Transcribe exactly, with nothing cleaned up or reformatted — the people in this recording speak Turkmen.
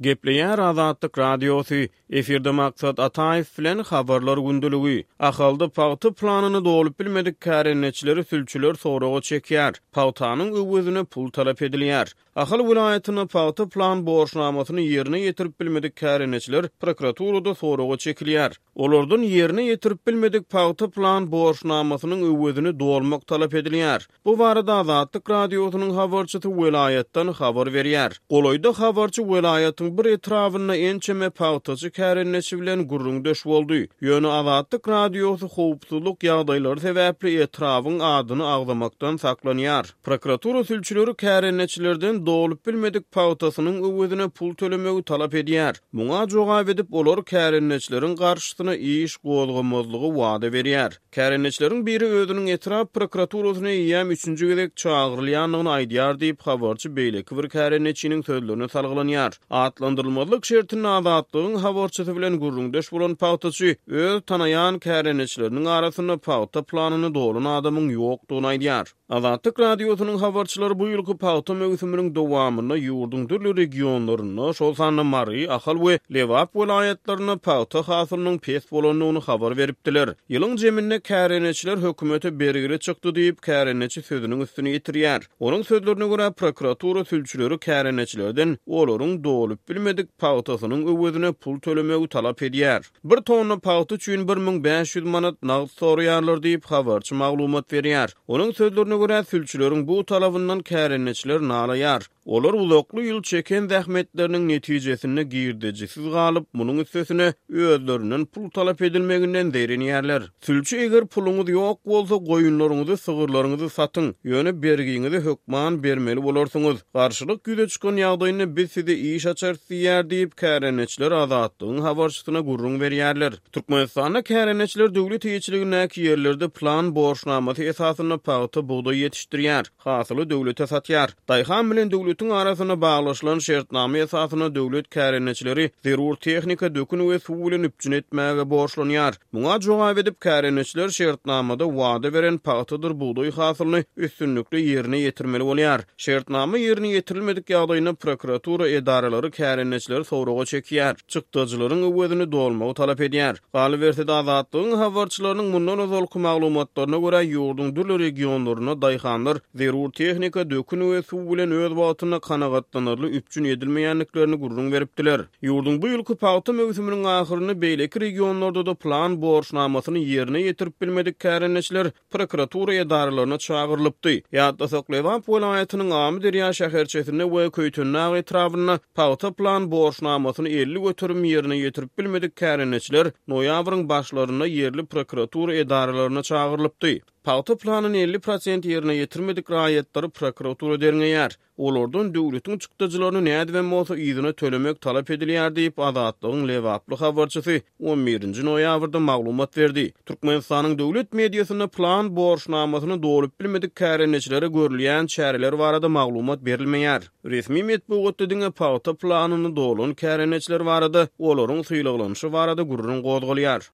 Gepleýär Azatlyk Radiosy, efirde Maksat Ataýew bilen Habarlar gündeligi. Ahalda pagta planyny dolup bilmedik kärendeçileri sülçüler soraga çekýär. Pagtanyň öwezine pul talap edilýär. Ahal welaýatynda pagta plan borçnamasyny ýerine ýetirip bilmedik kärendeçiler prokuraturada soraga çekilýär. Olardan ýerine ýetirip bilmedik pagta plan borçnamasynyň öwezini dolmak talap edilýär. Bu barada Azatlyk Radiosynyň habarçysy welaýatdan habar berýär. Golaýda habarçy welaýatyň bir etrabynda ençeme pagtaçy kärendeçi bilen gürrüňdeş boldy. Ýöne Azatlyk Radiosy howpsuzlyk ýagdaýlary sebäpli etrabyň adyny agzamakdan saklanýar. Prokuratura sülçüleri kärendeçilerden dolup bilmedik pagtasynyň öwezine pul tölemegi talap edýär. Muňa jogap edip, olar kärendeçileriň garşysyna iş gozgamazlygy wada berýär. Kärendeçileriň biri özüniň etrap prokuraturasyna eýýäm üçünji gezek çagyrylýandygyny aýdýar diýip, habarçy beýleki bir kärendeçiniň sözlerine salgylanýar. Atlandyrylmazlyk şertinde Azatlygyň habarçysy bilen gürrüňdeş bolan pagtaçy öz tanaýan kärendeçileriniň arasynda pagta planyny dolan adamyň ýokdugyny aýdýar. Azatlyk Radiosynyň habarçylary bu ýylky pagta möwsüminiň dowamynda ýurduň dürli regionlarynda, şol sanda Mary, Ahal we Lebap welaýatlarynda pagta hasylynyň pes bolandygyny habar beripdiler. Ýylyň jeminde kärendeçiler hökümete bergili çykdy diýip, kärendeçi sözüniň üstüni ýetirýär. Onuň sözlerine görä, prokuratura sülçüleri kärendeçilerden olaryň dolup bilmedik pagtasynyň öwezine pul tölemegi talap edýär. Bir tonna pagta üçin bir müň bäş ýüz manat nagt soraýarlar diýip, habarçy maglumat berýär. Onuň sözlerine görä, sülçüleriň bu talabyndan kärendeçiler nalaýar. Olar uzakly ýyl çeken zähmetleriniň netijesinde girdejisiz galyp, munuň üstesine özlerinden pul talap edilmeginden zeýrenýärler. Sülçi eger puluňyz ýok bolsa, goýunlaryňyzy, sygyrlaryňyzy satyň, ýöne bergiňizi hökman bermeli bolarsyňyz. Garşylyk ýüze çykan ýagdaýynda biz size iş açarys diýýär diýip, kärendeçiler Azatlygyň habarçysyna gürrüň berýärler. Türkmenistanda kärendeçiler döwlet eýeçiligindäki ýerlerde plan borçnamasy esasynda pagta, bugdaý ýetişdirýär, hasyly döwlete satýar. Daýhan bilen döwletiň arasynda baglaşylan şertnama esasynda döwlet kärendeçileri zerur tehnika, dökün we suw bilen üpjün etmäge borçlanýar. Muňa jogap edip, kärendeçiler şertnamada wada beren pagtadyr bugdaý hasylyny üstünlikli ýerine ýetirmeli bolýar. Şertnama ýerine ýetirilmedik ýagdaýynda prokuratura edaralary kärendeçileri soraga çekýär, çykdajylaryň öwezini dolmagy talap edýär. Galyberse-de, Azatlygyň habarçylarynyň mundan ozalky maglumatlaryna görä, ýurduň dürli regionlarynda daýhanlar zerur tehnika, dökün we suw bilen öz wagtynda kanagatlanarly üpjün edilmeýändiklerini gürrüň beripdiler. Ýurduň bu ýylky pagta möwsüminiň ahyrynda beýleki regionlarda-da plan borçnamasyny ýerine ýetirip bilmedik kärendeçiler prokuratura edaralaryna çagyrylypdy. Ýatlasak, Lebap welaýatynyň Amyderýa şäherçesinde we Köýtendag etrabynda pagta plan borçnamasyny elli göterim ýerine ýetirip bilmedik kärendeçiler noýabryň başlarynda ýerli prokuratura edaralaryna çagyrylypdy. Pagta planyny elli prosent ýerine ýetirmedik raýatlary prokuratura derňeýär. Olardan döwletiň çykdajylaryny nädibem bolsa yzyna tölemek talap edilýär diýip, Azatlygyň lebaply habarçysy on birinji noýabrda maglumat berdi. Türkmenistanyň döwlet mediasynda plan borçnamasyny dolup bilmedik kärendeçilere görülýän çäreler barada maglumat berilmeýär. Resmi metbugatda diňe pagta planyny dolan kärendeçiler barada, olaryň sylaglanyşy barada gürrüň gozgalýar.